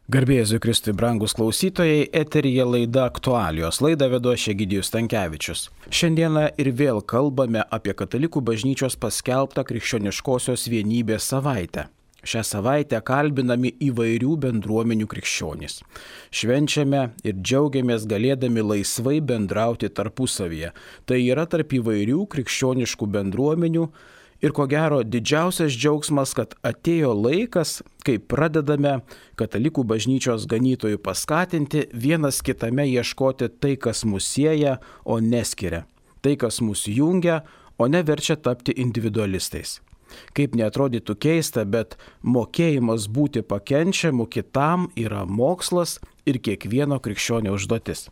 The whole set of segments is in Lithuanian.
Garbė Jėzui Kristui, brangus klausytojai, eteryje laida Aktualijos. Laidą vedu aš Egidijus Stankevičius. Šiandieną ir vėl kalbame apie Katalikų bažnyčios paskelbtą krikščioniškosios vienybės savaitę. Šią savaitę kalbinami įvairių bendruomenių krikščionys. Švenčiame ir džiaugiamės galėdami laisvai bendrauti tarpusavyje. Tai yra tarp įvairių krikščioniškų bendruomenių. Ir ko gero didžiausias džiaugsmas, kad atėjo laikas, kai pradedame Katalikų bažnyčios ganytojų paskatinti vienas kitame ieškoti tai, kas mus sieja, o neskiria. Tai, kas mus jungia, o neverčia tapti individualistais. Kaip neatrodytų keista, bet mokėjimas būti pakenčiamu kitam yra mokslas ir kiekvieno krikščionio užduotis.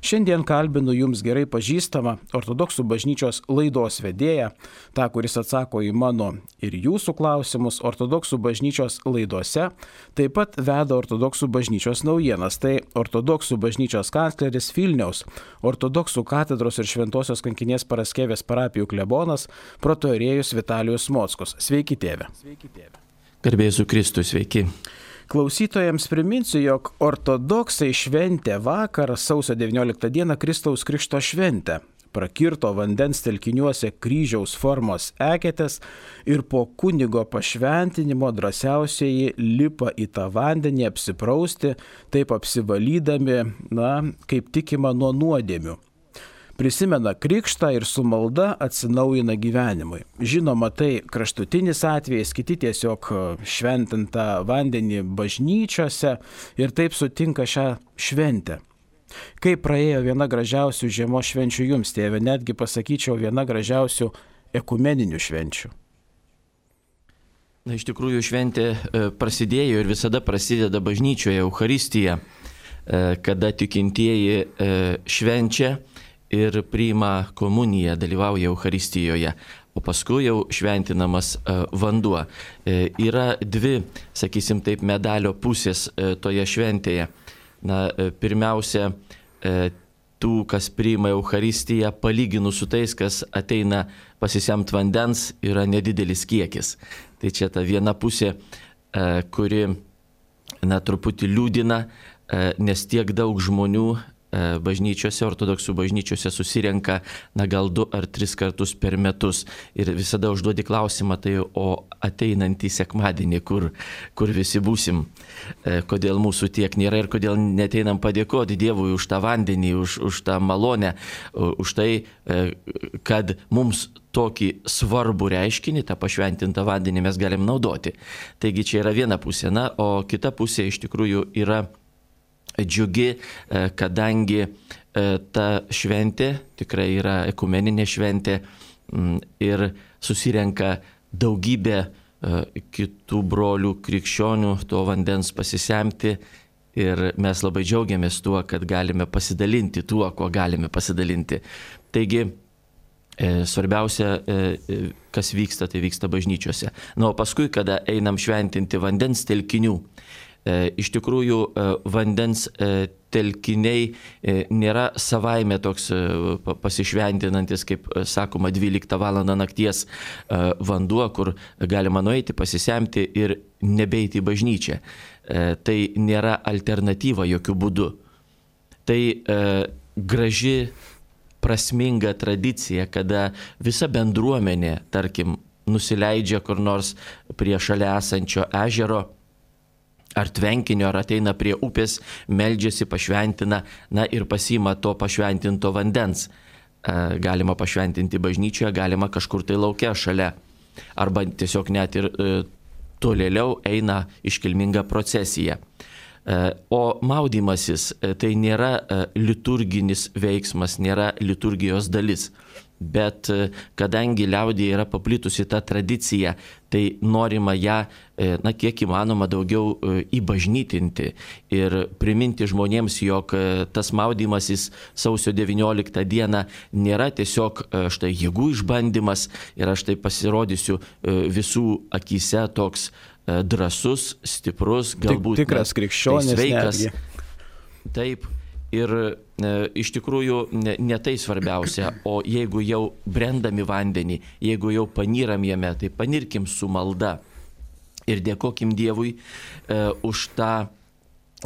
Šiandien kalbinu jums gerai pažįstamą ortodoksų bažnyčios laidos vedėją, tą, kuris atsako į mano ir jūsų klausimus ortodoksų bažnyčios laidose, taip pat veda ortodoksų bažnyčios naujienas. Tai ortodoksų bažnyčios kancleris Vilniaus, ortodoksų katedros ir Šventosios kankinės Paraskevės parapijų klebonas, protoierėjus Vitalijus Mockus. Sveiki, tėve. Garbė Jėzui Kristui, sveiki. Klausytojams priminsiu, jog ortodoksai šventė vakar, sausio 19 dieną, Kristaus Krikšto šventę. Prakirto vandens telkiniuose kryžiaus formos eketės ir po kunigo pašventinimo drąsiausieji lipa į tą vandenį apsiprausti, taip apsivalydami, kaip tikima, nuo nuodėmių. Prisimena krikštą ir su malda atsinaujina gyvenimui. Žinoma, tai kraštutinis atvejis, kiti tiesiog šventintą vandenį bažnyčiose ir taip sutinka šią šventę. Kaip praėjo viena gražiausių žiemos švenčių jums, tėve, netgi pasakyčiau viena gražiausių ekumeninių švenčių? Na, iš tikrųjų šventė prasidėjo ir visada prasideda bažnyčioje Eucharistija, kada tikintieji švenčia ir priima komuniją, dalyvauja Eucharistijoje, o paskui jau šventinamas vanduo. Yra dvi, sakysim taip, medalio pusės toje šventėje. Pirmiausia, tų, kas priima Eucharistiją, palyginus su tais, kas ateina pasisemt vandens, yra nedidelis kiekis. Tai čia ta viena pusė, kuri truputį liūdina, nes tiek daug žmonių bažnyčiose, ortodoksų bažnyčiose susirenka gal 2 ar 3 kartus per metus. Ir visada užduodi klausimą, tai o ateinantį sekmadienį, kur visi būsim, kodėl mūsų tiek nėra ir kodėl neteinam padėkoti Dievui už tą vandenį, už tą malonę, už tai, kad mums tokį svarbų reiškinį, tą pašventintą vandenį mes galim naudoti. Taigi čia yra viena pusė, o kita pusė iš tikrųjų yra džiugi, kadangi ta šventė tikrai yra ekumeninė šventė ir susirenka daugybė kitų brolių krikščionių to vandens pasisemti ir mes labai džiaugiamės tuo, kad galime pasidalinti tuo, kuo galime pasidalinti. Taigi, svarbiausia, kas vyksta, tai vyksta bažnyčiose. O paskui, kada einam šventinti vandens telkinių, iš tikrųjų vandens telkiniai nėra savaime toks pasišventinantis, kaip sakoma, 12 valandą nakties vanduo, kur galima nueiti, pasisemti ir nebeiti į bažnyčią. Tai nėra alternatyva jokių būdų. Tai graži, prasminga tradicija, kada visa bendruomenė, tarkim, nusileidžia kur nors prie šalia esančio ežero, ar tvenkinio, ar ateina prie upės, meldžiasi, pašventina, ir pasiima to pašventinto vandens. Galima pašventinti bažnyčioje, galima kažkur tai lauke šalia. Arba tiesiog net ir tolėliau eina iškilminga procesija. O maudymasis tai nėra liturginis veiksmas, nėra liturgijos dalis. Bet kadangi liaudyje yra paplitusi ta tradicija, tai norima ją, kiek įmanoma daugiau įbažnytinti ir priminti žmonėms, jog tas maudymasis sausio 19 dieną nėra tiesiog štai jėgų išbandymas ir aš tai pasirodysiu visų akyse toks drąsus, stiprus, galbūt tikras krikščionis, sveikas. Taip. Ir iš tikrųjų ne tai svarbiausia, o jeigu jau brendami vandenį, jeigu jau panyram jame, tai panirkim su malda ir dėkokim Dievui už tą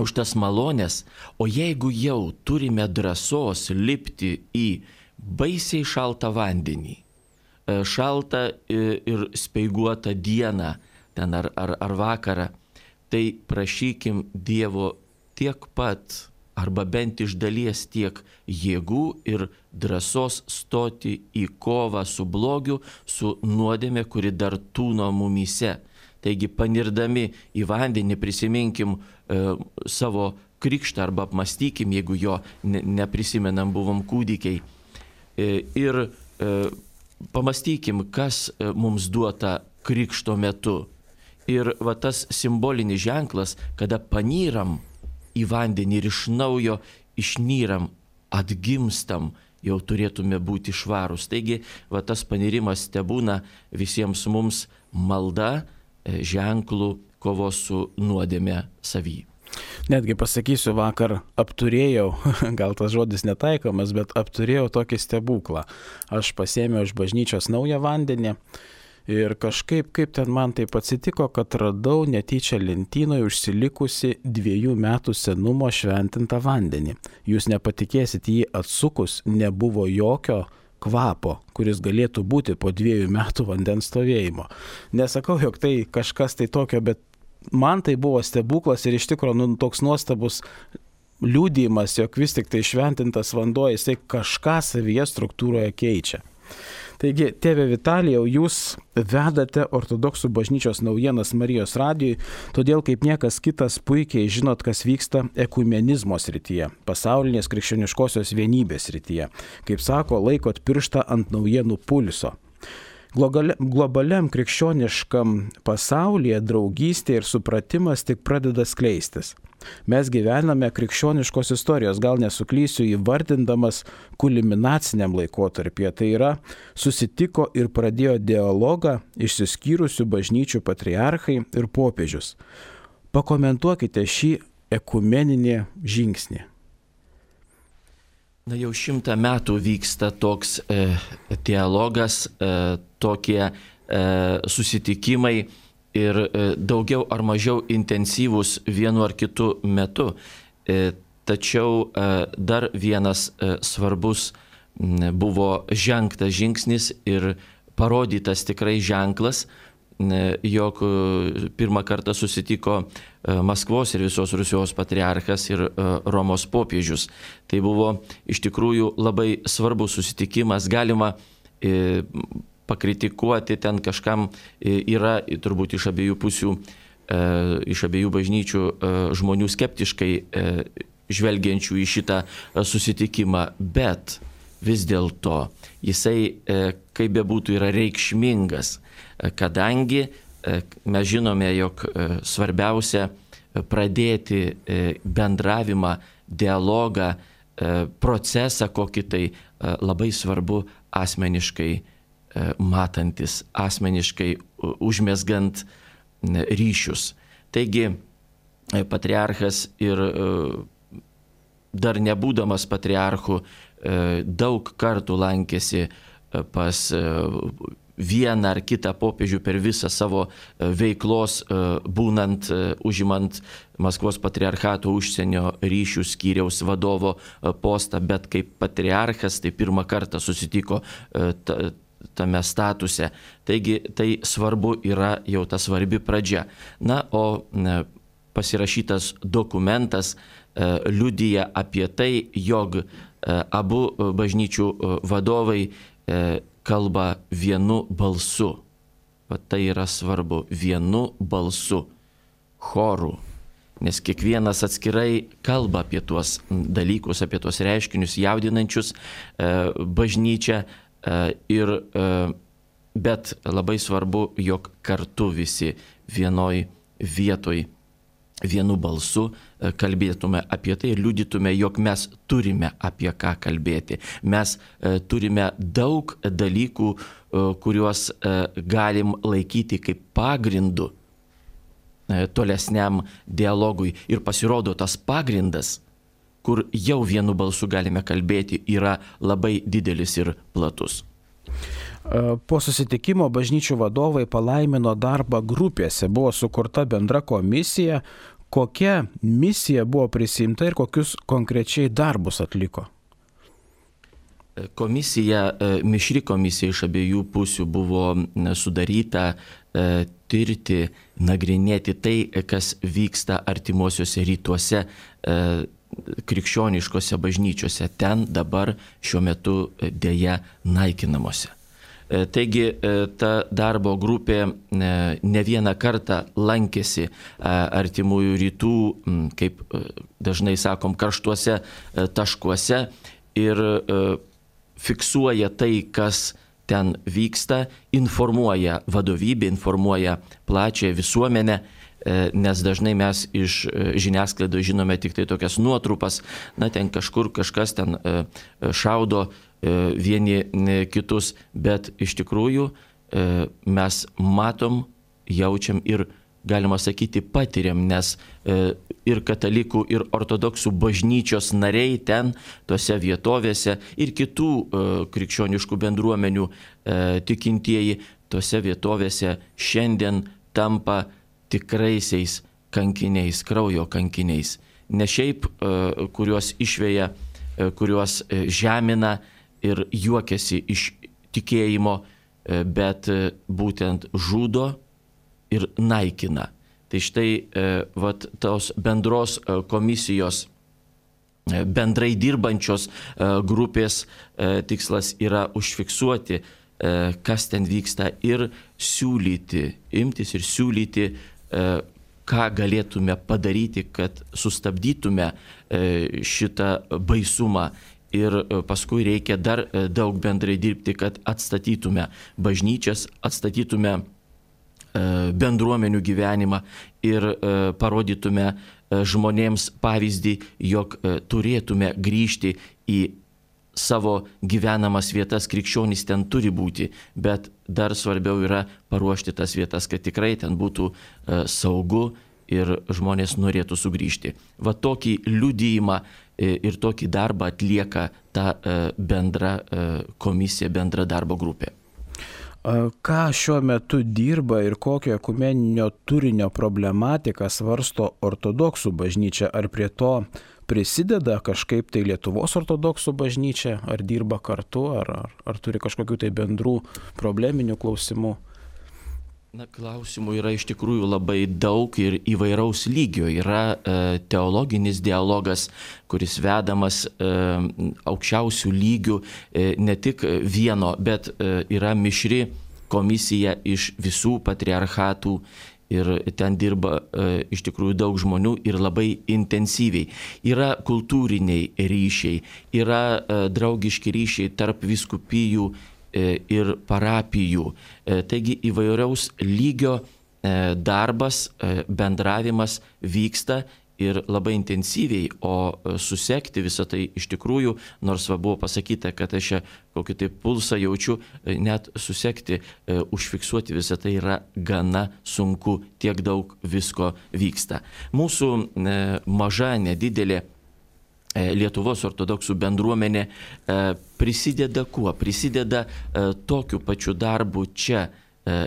už tas malonės, o jeigu jau turime drąsos lipti į baisiai šaltą vandenį, šaltą ir speiguotą dieną ten ar vakarą, tai prašykim Dievo tiek pat, arba bent iš dalies tiek jėgų ir drąsos stoti į kovą su blogiu, su nuodėme, kuri dar tūno mumyse. Taigi panirdami į vandenį prisiminkim savo krikštą arba apmastykim, jeigu jo neprisimenam, buvom kūdikiai. Ir pamastykim, kas mums duota krikšto metu. Ir va tas simbolinis ženklas, kada panyram į vandenį ir iš naujo išnyram, atgimstam, jau turėtume būti švarūs. Taigi va tas panirimas tebūna visiems mums malda, ženklų kovos su nuodėme savy. Netgi pasakysiu, vakar apturėjau, gal tas žodis netaikomas, bet apturėjau tokį stebuklą. Aš pasėmiau iš bažnyčios naują vandenį ir kažkaip, kaip ten man taip atsitiko, kad radau netyčia lentynoje užsilikusi 2 metų senumo šventintą vandenį. Jūs nepatikėsit, jį atsukus nebuvo jokio kvapo, kuris galėtų būti po 2 metų vandens stovėjimo. Nesakau, jog tai kažkas tai tokio, bet man tai buvo stebuklas ir iš tikrųjų toks nuostabus liudijimas, jog vis tik tai šventintas vanduo, jisai kažką savyje struktūroje keičia. Taigi, tėve Vitalijau, jūs vedate ortodoksų bažnyčios naujienas Marijos radijui, todėl kaip niekas kitas puikiai žinot, kas vyksta ekumenizmo srityje, pasaulinės krikščioniškosios vienybės srityje. Kaip sako, laikot pirštą ant naujienų pulso. Globaliam krikščioniškam pasaulyje draugystė ir supratimas tik pradeda skleistis. Mes gyvename krikščioniškos istorijos, gal nesuklysiu įvardindamas kulminaciniam laikotarpyje. Tai yra, susitiko ir pradėjo dialogą išsiskyrusių bažnyčių patriarchai ir popiežius. Pakomentuokite šį ekumeninį žingsnį. Na, jau 100 metų vyksta toks dialogas, tokie susitikimai ir daugiau ar mažiau intensyvūs vienu ar kitu metu. Tačiau dar vienas svarbus buvo žengtas žingsnis ir parodytas tikrai ženklas, jog pirmą kartą susitiko Maskvos ir visos Rusijos patriarchas ir Romos popiežius. Tai buvo iš tikrųjų labai svarbus susitikimas. Galima pakritikuoti, ten kažkam yra turbūt iš abiejų pusių, iš abiejų bažnyčių žmonių skeptiškai žvelgiančių į šitą susitikimą, bet vis dėlto jisai, kaip bebūtų, yra reikšmingas, kadangi mes žinome, jog svarbiausia pradėti bendravimą, dialogą, procesą kokį tai labai svarbu asmeniškai matantis, asmeniškai užmesgant ryšius. Taigi patriarchas ir dar nebūdamas patriarchu daug kartų lankėsi pas vieną ar kitą popiežių per visą savo veiklos, būnant, užimant Maskvos patriarchato užsienio ryšių skyriaus vadovo postą, bet kaip patriarchas tai pirmą kartą susitiko tame statuse. Taigi tai svarbu yra jau ta svarbi pradžia. Na, o pasirašytas dokumentas liudija apie tai, jog abu bažnyčių vadovai kalba vienu balsu. Va tai yra svarbu, vienu balsu, choru. Nes kiekvienas atskirai kalba apie tuos dalykus, apie tuos reiškinius jaudinančius bažnyčią. Bet labai svarbu, jog kartu visi vienoj vietoj, vienu balsu kalbėtume apie tai ir liudytume, jog mes turime apie ką kalbėti. Mes turime daug dalykų, kuriuos galim laikyti kaip pagrindu tolesniam dialogui. Ir pasirodo, tas pagrindas, kur jau vienu balsu galime kalbėti, yra labai didelis ir platus. Po susitikimo bažnyčių vadovai palaimino darbą grupėse. Buvo sukurta bendra komisija, Kokia misija buvo prisimta ir kokius konkrečiai darbus atliko? Komisija, mišri komisija iš abiejų pusių buvo sudaryta tirti, nagrinėti tai, kas vyksta artimuosiuose rytuose, krikščioniškose bažnyčiose, ten dabar šiuo metu dėja naikinamuose. Taigi ta darbo grupė ne vieną kartą lankėsi artimųjų rytų, kaip dažnai sakom, karštuose taškuose ir fiksuoja tai, kas ten vyksta, informuoja vadovybę, informuoja plačią visuomenę, nes dažnai mes iš žiniasklaidos žinome tik tai tokias nuotrupas, ten kažkur kažkas ten šaudo vieni kitus, bet iš tikrųjų mes matom, jaučiam ir, galima sakyti, patiriam, nes ir katalikų, ir ortodoksų bažnyčios nariai ten, tose vietovėse, ir kitų krikščioniškų bendruomenių tikintieji tose vietovėse šiandien tampa tikraisiais kankiniais, kraujo kankiniais. Ne šiaip, kuriuos išveja, kuriuos žemina ir juokiasi iš tikėjimo, bet būtent žudo ir naikina. Tai štai tos bendros komisijos, bendrai dirbančios grupės tikslas yra užfiksuoti, kas ten vyksta ir siūlyti, imtis ir siūlyti, ką galėtume padaryti, kad sustabdytume šitą baisumą. Ir paskui reikia dar daug bendrai dirbti, kad atstatytume bažnyčias, atstatytume bendruomenių gyvenimą ir parodytume žmonėms pavyzdį, jog turėtume grįžti į savo gyvenamas vietas, krikščionys ten turi būti, bet dar svarbiau yra paruošti tas vietas, kad tikrai ten būtų saugu ir žmonės norėtų sugrįžti. Va tokį liudijimą ir tokį darbą atlieka ta bendra komisija, bendra darbo grupė. Ką šiuo metu dirba ir kokio ekumeninio turinio problematiką svarsto ortodoksų bažnyčia? Ar prie to prisideda kažkaip tai Lietuvos ortodoksų bažnyčia? Ar dirba kartu? Ar turi kažkokių tai bendrų probleminių klausimų? Klausimų yra iš tikrųjų labai daug ir įvairaus lygio. Yra teologinis dialogas, kuris vedamas aukščiausių lygių, ne tik vieno, bet yra mišri komisija iš visų patriarchatų ir ten dirba iš tikrųjų daug žmonių ir labai intensyviai. Yra kultūriniai ryšiai, yra draugiški ryšiai tarp vyskupijų ir parapijų. Taigi įvairiaus lygio darbas, bendravimas vyksta ir labai intensyviai, o susekti visą tai iš tikrųjų, nors buvo pasakyta, kad aš kokį tai pulsą jaučiu, net susekti, užfiksuoti visą tai yra gana sunku, tiek daug visko vyksta. Mūsų maža, nedidelė Lietuvos ortodoksų bendruomenė prisideda kuo? Prisideda tokiu pačiu darbu čia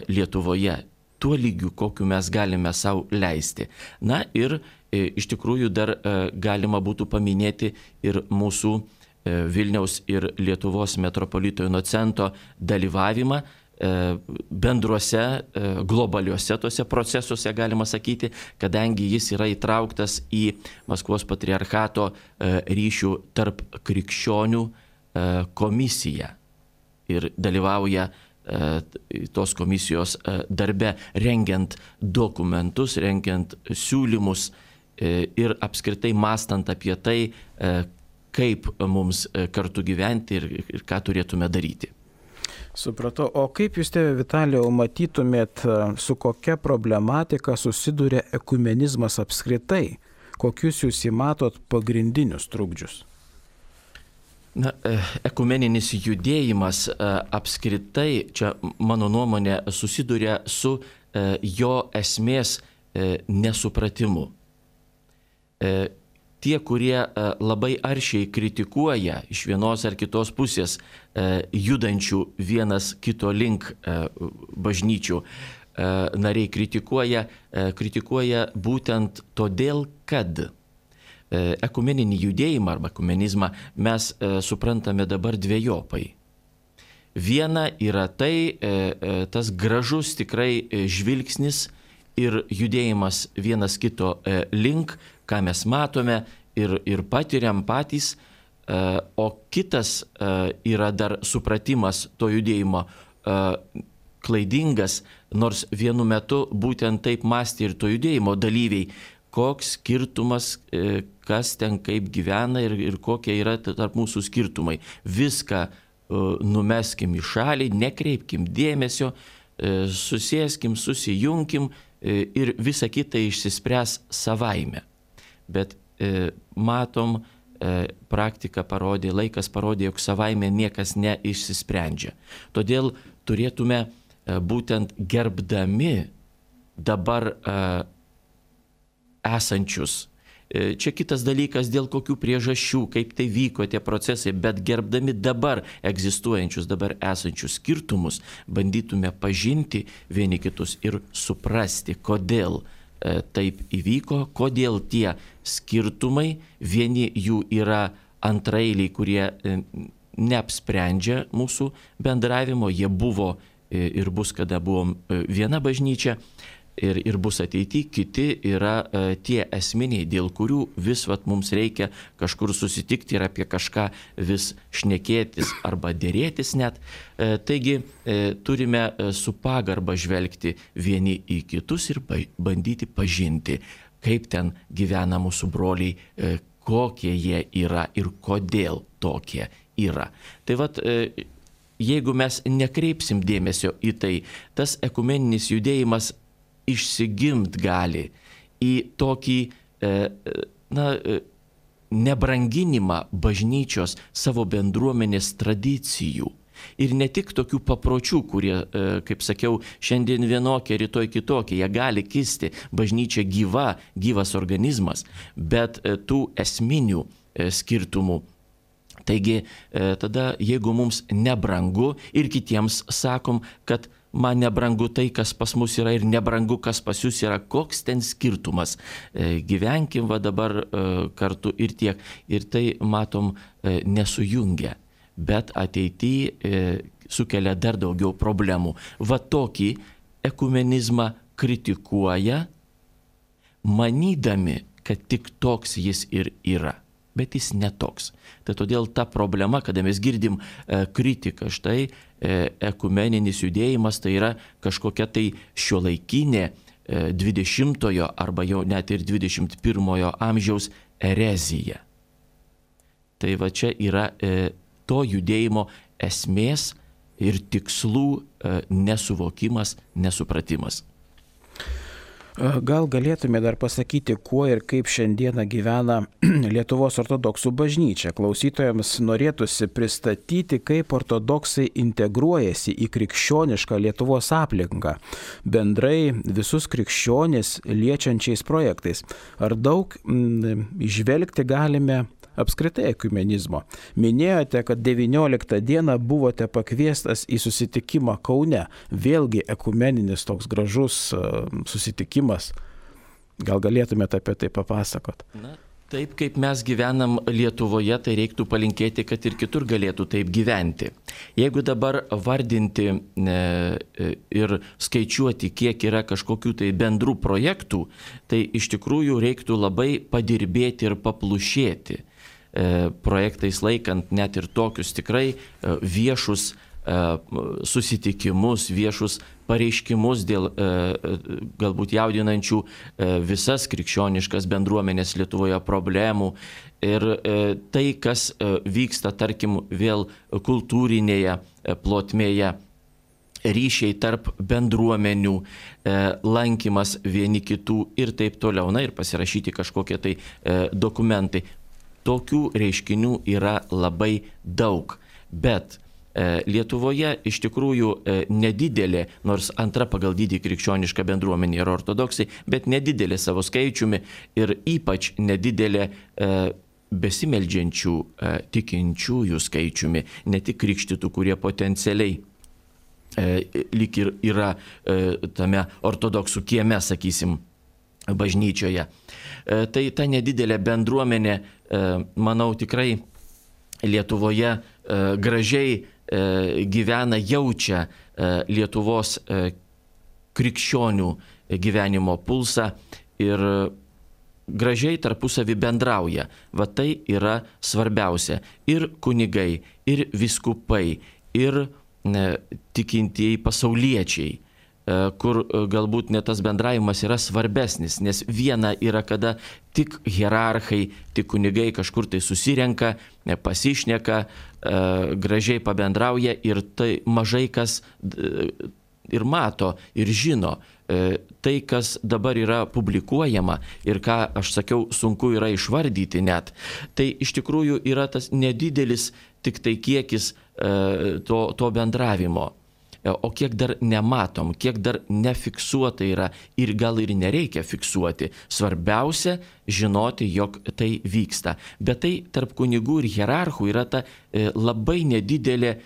Lietuvoje, tuo lygiu, kokiu mes galime savo leisti. Na ir iš tikrųjų dar galima būtų paminėti ir mūsų Vilniaus ir Lietuvos metropolito Inocento dalyvavimą bendruose, globaliuose tose procesuose, galima sakyti, kadangi jis yra įtrauktas į Maskvos patriarchato ryšių tarp krikščionių komisiją ir dalyvauja tos komisijos darbe, rengiant dokumentus, rengiant siūlymus ir apskritai mąstant apie tai, kaip mums kartu gyventi ir ką turėtume daryti. Supratau. O kaip jūs, tėve Vitalijau, matytumėt, su kokia problematika susiduria ekumenizmas apskritai? Kokius jūs įmatot pagrindinius trukdžius? Ekumeninis judėjimas apskritai, čia mano nuomonė, susiduria su jo esmės nesupratimu. Tie, kurie labai aršiai kritikuoja iš vienos ar kitos pusės judančių vienas kito link bažnyčių, nariai kritikuoja būtent todėl, kad ekumeninį judėjimą arba ekumenizmą mes suprantame dabar dvejopai. Viena yra tas gražus tikrai žvilgsnis ir judėjimas vienas kito link, ką mes matome ir patiriam patys, o kitas yra dar supratimas to judėjimo klaidingas, nors vienu metu būtent taip mąstė ir to judėjimo dalyviai, koks skirtumas, kas ten kaip gyvena ir kokie yra tarp mūsų skirtumai. Viską numeskim į šalį, nekreipkim dėmesio, susėskim, susijunkim ir visa kita išsispręs savaime. Bet matom, praktika parodė, laikas parodė, jog savaime niekas neišsisprendžia. Todėl turėtume būtent gerbdami dabar esančius. Čia kitas dalykas, dėl kokių priežasčių, kaip tai vyko tie procesai, bet gerbdami dabar egzistuojančius, dabar esančius skirtumus, bandytume pažinti vieni kitus ir suprasti, kodėl taip įvyko, kodėl tie skirtumai, vieni jų yra antraeiliai, kurie neapsprendžia mūsų bendravimo, jie buvo ir bus, kada buvom viena bažnyčia, ir bus ateityje, kiti yra tie esminiai, dėl kurių vis mums reikia kažkur susitikti ir apie kažką vis šnekėtis arba dėrėtis net. Taigi turime su pagarba žvelgti vieni į kitus ir bandyti pažinti, kaip ten gyvena mūsų broliai, kokie jie yra ir kodėl tokie yra. Tai jeigu mes nekreipsim dėmesio į tai, tas ekumeninis judėjimas išsigimt gali į tokį nebranginimą bažnyčios savo bendruomenės tradicijų. Ir ne tik tokių papročių, kurie, kaip sakiau, šiandien vienokie, rytoj kitokie, jie gali kisti, bažnyčia gyvas organizmas, bet tų esminių skirtumų. Taigi tada, jeigu mums nebrangu ir kitiems sakom, kad man nebrangu tai, kas pas mus yra ir nebrangu, kas pas jūs yra, koks ten skirtumas. Gyvenkim dabar kartu ir tiek. Ir tai, matom, nesujungia, bet ateityje sukelia dar daugiau problemų. Tokį ekumenizmą kritikuoja, manydami, kad tik toks jis ir yra. Bet jis netoks. Tai todėl ta problema, kada mes girdim kritiką, štai ekumeninis judėjimas, tai yra kažkokia tai šiuolaikinė 20-ojo arba jau net ir 21-ojo amžiaus erezija. Tai čia yra to judėjimo esmės ir tikslų nesuvokimas, nesupratimas. Gal galėtume dar pasakyti, kuo ir kaip šiandieną gyvena Lietuvos ortodoksų bažnyčia. Klausytojams norėtųsi pristatyti, kaip ortodoksai integruojasi į krikščionišką Lietuvos aplinką, bendrai visus krikščionis liečiančiais projektais. Ar daug įžvelgti galime apskritai ekumenizmo? Minėjote, kad 19 dieną buvote pakviestas į susitikimą Kaune. Vėlgi ekumeninis toks gražus susitikimas. Gal galėtumėte apie tai papasakot? Taip kaip mes gyvenam Lietuvoje, tai reiktų palinkėti, kad ir kitur galėtų taip gyventi. Jeigu dabar vardinti ir skaičiuoti, kiek yra kažkokių tai bendrų projektų, tai iš tikrųjų reiktų labai padirbėti ir paplušėti. Projektais laikant net ir tokius tikrai viešus susitikimus, viešus pareiškimus dėl galbūt jaudinančių visas krikščioniškas bendruomenės Lietuvoje problemų. Ir tai, kas vyksta, tarkim, vėl kultūrinėje plotmėje, ryšiai tarp bendruomenių, lankymas vieni kitų ir taip toliau, ir pasirašyti kažkokie tai dokumentai. Tokių reiškinių yra labai daug, bet Lietuvoje iš tikrųjų nedidelė, nors antra pagal dydį krikščioniška bendruomenė yra ortodoksai, bet nedidelė savo skaičiumi ir ypač nedidelė besimeldžiančių tikinčiųjų skaičiumi, ne tik krikštytų, kurie potencialiai lyg ir yra tame ortodoksų kieme, sakysim, bažnyčioje. Tai ta nedidelė bendruomenė, manau, tikrai Lietuvoje gražiai gyvena, jaučia Lietuvos krikščionių gyvenimo pulsą ir gražiai tarpusavį bendrauja. Va tai yra svarbiausia. Ir kunigai, ir vyskupai, ir tikintieji pasauliečiai, kur galbūt net tas bendravimas yra svarbesnis, nes viena yra, kada tik hierarchai, tik kunigai kažkur tai susirenka, pasišneka, gražiai pabendrauja ir tai mažai kas ir mato, ir žino. Tai, kas dabar yra publikuojama ir ką aš sakiau, sunku yra išvardyti net, tai iš tikrųjų yra tas nedidelis tik tai kiekis to bendravimo. O kiek dar nematom, kiek dar nefiksuota yra ir gal ir nereikia fiksuoti. Svarbiausia žinoti, jog tai vyksta. Bet tai tarp kunigų ir hierarchų yra ta labai nedidelė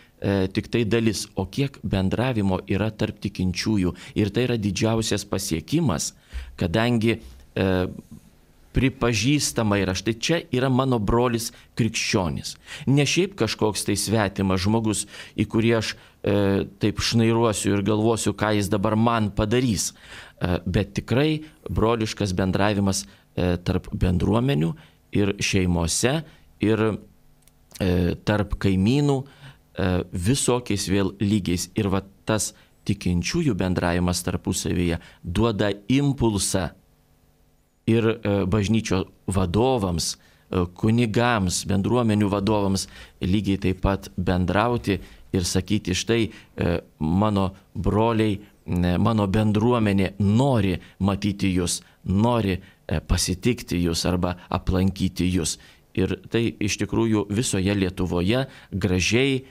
tik tai dalis, o kiek bendravimo yra tarp tikinčiųjų. Ir tai yra didžiausias pasiekimas, kadangi pripažįstama yra, štai čia yra mano brolis krikščionis. Ne šiaip kažkoks tai svetimas žmogus, į kurį aš taip šnairuosiu ir galvosiu, ką jis dabar man padarys, bet tikrai broliškas bendravimas tarp bendruomenių ir šeimose ir tarp kaimynų, visokiais vėl lygiais. Ir va tas tikinčiųjų bendravimas tarpusavyje duoda impulsą ir bažnyčio vadovams, kunigams, bendruomenių vadovams lygiai taip pat bendrauti ir sakyti, štai mano broliai, mano bendruomenė nori matyti jūs, nori pasitikti jūs arba aplankyti jūs. Ir tai iš tikrųjų visoje Lietuvoje gražiai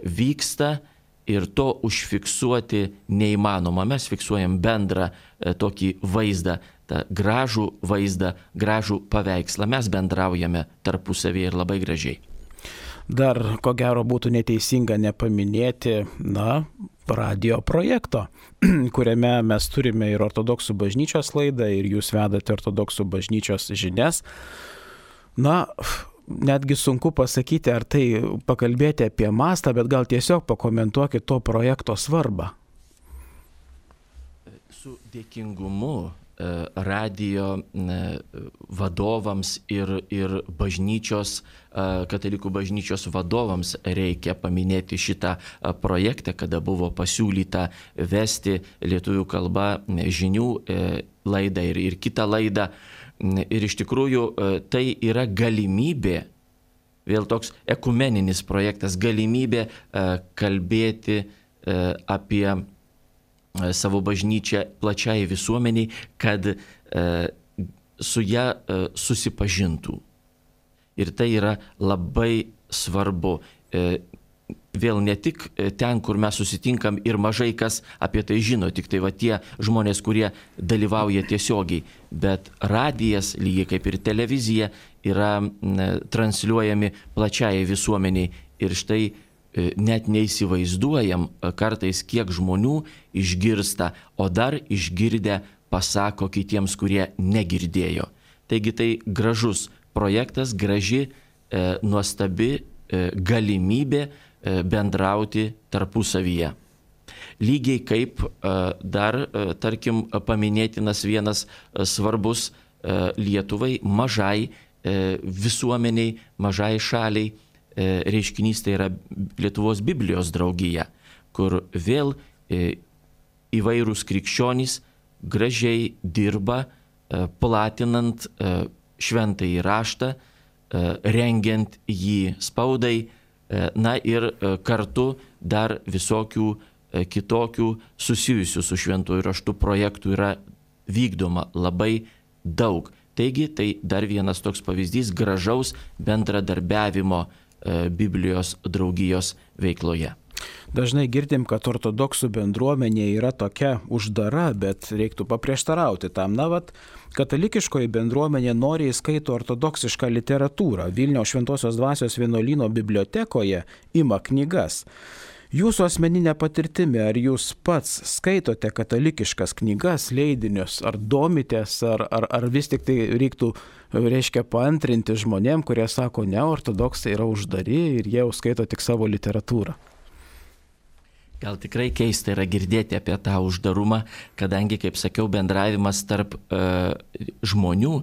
vyksta ir to užfiksuoti neįmanoma. Mes fiksuojam bendrą tokį vaizdą, tą gražų vaizdą, gražų paveikslą. Mes bendraujame tarpusavėje ir labai gražiai. Dar ko gero būtų neteisinga nepaminėti, radio projekto, kuriame mes turime ir ortodoksų bažnyčios laidą, ir jūs vedate ortodoksų bažnyčios žinias. Netgi sunku pasakyti, ar tai pakalbėti apie mastą, bet gal tiesiog pakomentuokit to projekto svarbą. Su dėkingumu radijo vadovams ir bažnyčios, katalikų bažnyčios vadovams reikia paminėti šitą projektą, kada buvo pasiūlyta vesti lietuvių kalba žinių laidą ir kitą laidą. Ir iš tikrųjų tai yra galimybė, vėl toks ekumeninis projektas, galimybė kalbėti apie savo bažnyčią plačiai visuomeniai, kad su ją susipažintų. Ir tai yra labai svarbu. Vėl ne tik ten, kur mes susitinkam ir mažai kas apie tai žino, tik tai va tie žmonės, kurie dalyvauja tiesiogiai, bet radijas, lygiai kaip ir televizija, yra transliuojami plačiai visuomeniai. Ir štai net neįsivaizduojam kartais, kiek žmonių išgirsta, o dar išgirdę pasako kitiems, kurie negirdėjo. Taigi tai gražus projektas, graži, nuostabi galimybė bendrauti tarpusavyje. Lygiai kaip dar, tarkim, paminėtinas vienas svarbus Lietuvai, mažai visuomeniai, mažai šaliai reiškinys, tai yra Lietuvos Biblijos draugija, kur vėl įvairūs krikščionys gražiai dirba, platinant šventąjį raštą, rengiant jį spaudai, ir kartu dar visokių kitokių susijusių su šventuoju raštu projektų yra vykdoma labai daug. Taigi tai dar vienas toks pavyzdys gražaus bendradarbiavimo Biblijos draugijos veikloje. Dažnai girdim, kad ortodoksų bendruomenė yra tokia uždara, bet reiktų paprieštarauti tam. Katalikiškoji bendruomenė noriai skaito ortodoksišką literatūrą. Vilniaus Šventosios Dvasios vienuolyno bibliotekoje ima knygas. Jūsų asmeninė patirtimi, ar jūs pats skaitote katalikiškas knygas, leidinius, ar domitės, ar vis tik tai reiktų, reiškia, paantrinti žmonėm, kurie sako, ne, ortodoksai yra uždari ir jie jau skaito tik savo literatūrą? Gal tikrai keista yra girdėti apie tą uždarumą, kadangi, kaip sakiau, bendravimas tarp žmonių,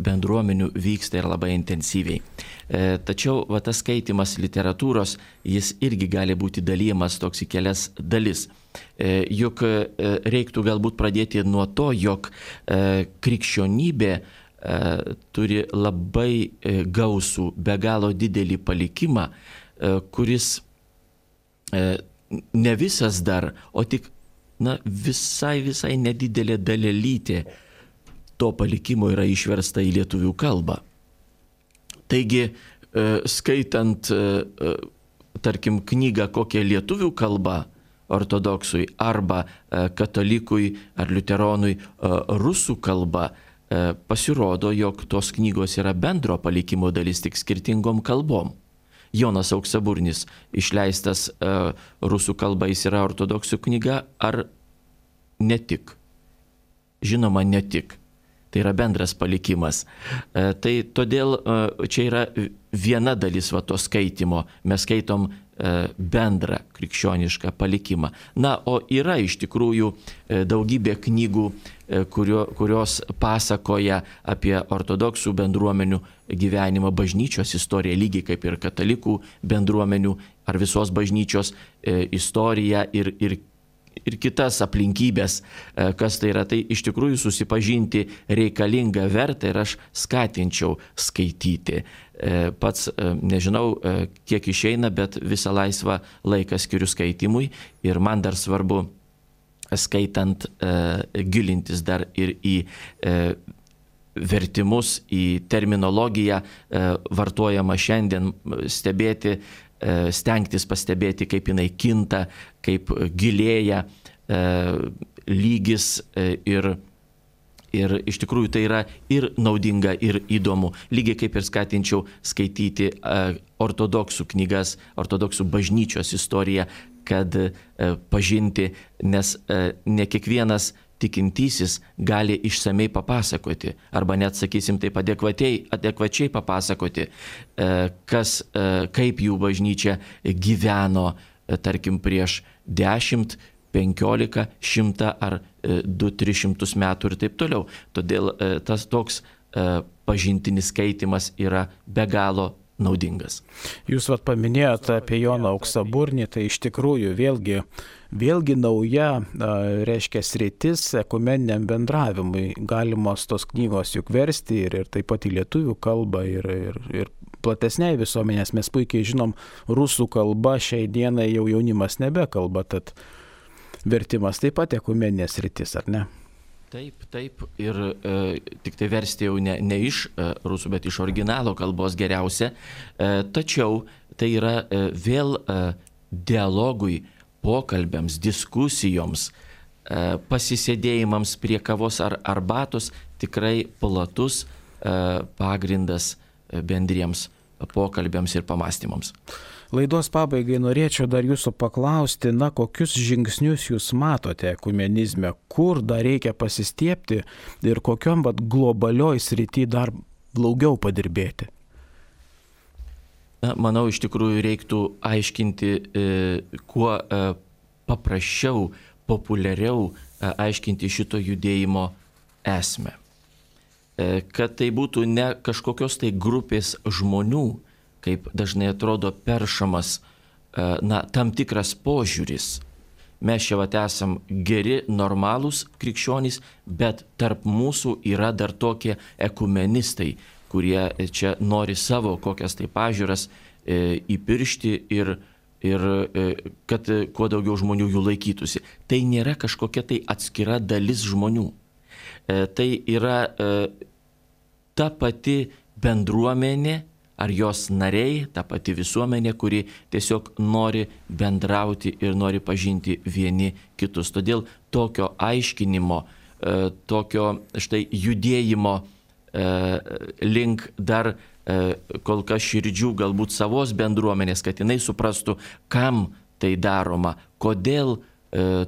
bendruomenių vyksta ir labai intensyviai. Tačiau tas skaitimas literatūros, jis irgi gali būti dalyjamas toks į kelias dalis. Juk reiktų galbūt pradėti nuo to, jog krikščionybė turi labai gausų, be galo didelį palikimą, kuris ne visas dar, o tik visai nedidelė dalelytė to palikimo yra išversta į lietuvių kalbą. Taigi, skaitant, tarkim, knygą kokią lietuvių kalbą ortodoksui arba katalikui ar liuteronui rusų kalba, pasirodo, jog tos knygos yra bendro palikimo dalis, tik skirtingom kalbom. Jonas Auksaburnis išleistas rusų kalba, jis yra ortodoksų knyga ar ne tik? Žinoma, ne tik. Tai yra bendras palikimas. Tai todėl čia yra viena dalis to skaitimo. Mes skaitom bendrą krikščionišką palikimą. O yra iš tikrųjų daugybė knygų, kurios pasakoja apie ortodoksų bendruomenių gyvenimą, bažnyčios istoriją, lygiai kaip ir katalikų bendruomenių ar visos bažnyčios istoriją ir kitas aplinkybės, kas tai yra. Tai iš tikrųjų susipažinti reikalinga, verta ir aš skatinčiau skaityti. Pats nežinau, kiek išeina, bet visą laisvą laiką skiriu skaitimui ir man dar svarbu skaitant gilintis dar ir į vertimus, į terminologiją vartojama šiandien, stengtis pastebėti, kaip jinai kinta, kaip gilėja lygis ir iš tikrųjų tai yra ir naudinga, ir įdomu. Lygiai kaip ir skatinčiau skaityti ortodoksų knygas, ortodoksų bažnyčios istoriją, kad pažinti, nes ne kiekvienas tikintysis gali išsamei papasakoti, arba net, sakysim, taip adekvačiai papasakoti, kaip jų bažnyčia gyveno, tarkim, prieš 10, 15, 100 ar 200-300 metų ir taip toliau. Todėl tas toks pažintinis skaitimas yra be galo naudingas. Jūs paminėjote apie Joną Auksaburnį, tai iš tikrųjų vėlgi nauja, reiškia, sritis ekumeniniam bendravimui. Galimos tos knygos juk versti ir taip pat į lietuvių kalbą ir platesniai visuomenės. Mes puikiai žinom, rusų kalba šiai dienai jau jaunimas nebekalba, tad vertimas taip pat ekumeninės sritis, ar ne? Taip. Ir tik tai versti jau ne iš rusų, bet iš originalo kalbos geriausia. Tačiau tai yra vėl dialogui, pokalbiams, diskusijoms, pasisėdėjimams prie kavos ar arbatos tikrai platus pagrindas bendriems pokalbiams ir pamastymams. Laidos pabaigai norėčiau dar jūsų paklausti, kokius žingsnius jūs matote ekumenizme, kur dar reikia pasistiebti ir kokiom globalioj srity dar daugiau padirbėti? Manau, iš tikrųjų reiktų aiškinti kuo paprasčiau, populiariau aiškinti šito judėjimo esmę. Kad tai būtų ne kažkokios tai grupės žmonių, kaip dažnai atrodo peršamas tam tikras požiūris. Mes čia esam geri, normalūs krikščionys, bet tarp mūsų yra dar tokie ekumenistai, kurie čia nori savo kokias tai pažiūras įpiršti ir kad kuo daugiau žmonių jų laikytųsi. Tai nėra kažkokia tai atskira dalis žmonių. Tai yra ta pati bendruomenė, ar jos nariai, ta pati visuomenė, kuri tiesiog nori bendrauti ir nori pažinti vieni kitus. Todėl tokio aiškinimo, tokio štai judėjimo link dar kol kas širdžių galbūt savos bendruomenės, kad jinai suprastų, kam tai daroma, kodėl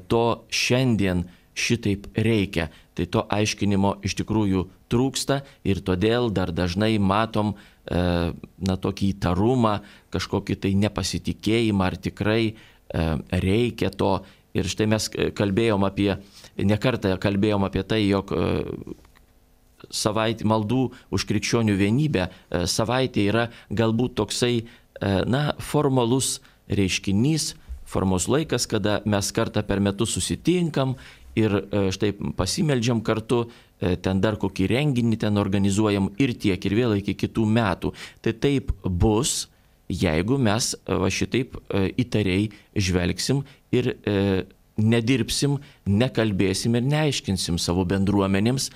to šiandien šitaip reikia. Tai to aiškinimo iš tikrųjų trūksta ir todėl dar dažnai matom tokį įtarumą, kažkokį tai nepasitikėjimą, ar tikrai reikia to. Ir štai mes nekartą kalbėjom apie tai, jog maldų už krikščionių vienybę savaitė yra galbūt toksai formalus reiškinys, formalus laikas, kada mes kartą per metus susitinkam ir štai pasimeldžiam kartu, ten dar kokį renginį ten organizuojam ir tiek, ir vėl iki kitų metų. Tai taip bus, jeigu mes šitaip įtariai žvelgsim ir nedirbsim, nekalbėsim ir neaiškinsim savo bendruomenėms,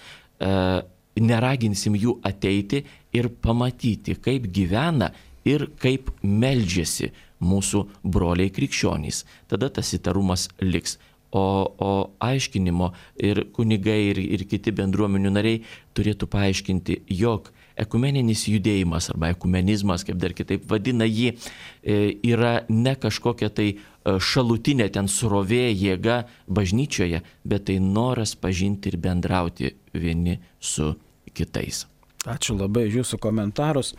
neraginsim jų ateiti ir pamatyti, kaip gyvena ir kaip meldžiasi mūsų broliai krikščionys. Tada tas įtarumas liks. O aiškinimo ir kunigai ir kiti bendruomenių nariai turėtų paaiškinti, jog ekumeninis judėjimas arba ekumenizmas, kaip dar kitaip vadina jį, yra ne kažkokia tai šalutinė ten srovė jėga bažnyčioje, bet tai noras pažinti ir bendrauti vieni su kitais. Ačiū labai už jūsų komentarus.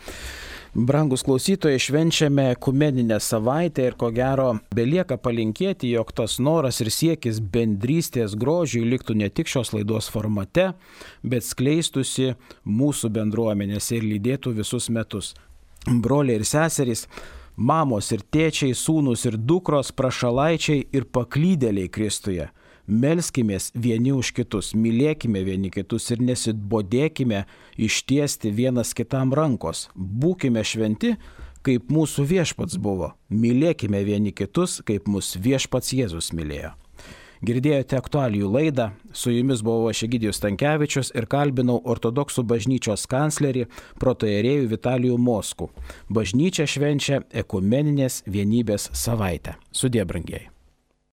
Brangus klausytojai, švenčiame ekumeninę savaitę ir ko gero belieka palinkėti, jog tas noras ir siekis bendrystės grožiui liktų ne tik šios laidos formate, bet skleistusi mūsų bendruomenėse ir lydėtų visus metus. Broliai ir seserys, mamos ir tėčiai, sūnus ir dukros, prašalaičiai ir paklydėliai Kristuje. Melskimės vieni už kitus, mylėkime vieni kitus ir nesibodėkime ištiesti vienas kitam rankos. Būkime šventi, kaip mūsų viešpats buvo. Mylėkime vieni kitus, kaip mūsų viešpats Jėzus mylėjo. Girdėjote aktualijų laidą, su jumis buvo aš Egidijus Stankevičius ir kalbinau ortodoksų bažnyčios kanclerį protoierėjų Vitalijų Moskų. Bažnyčia švenčia ekumeninės vienybės savaitę. Sudie, brangieji.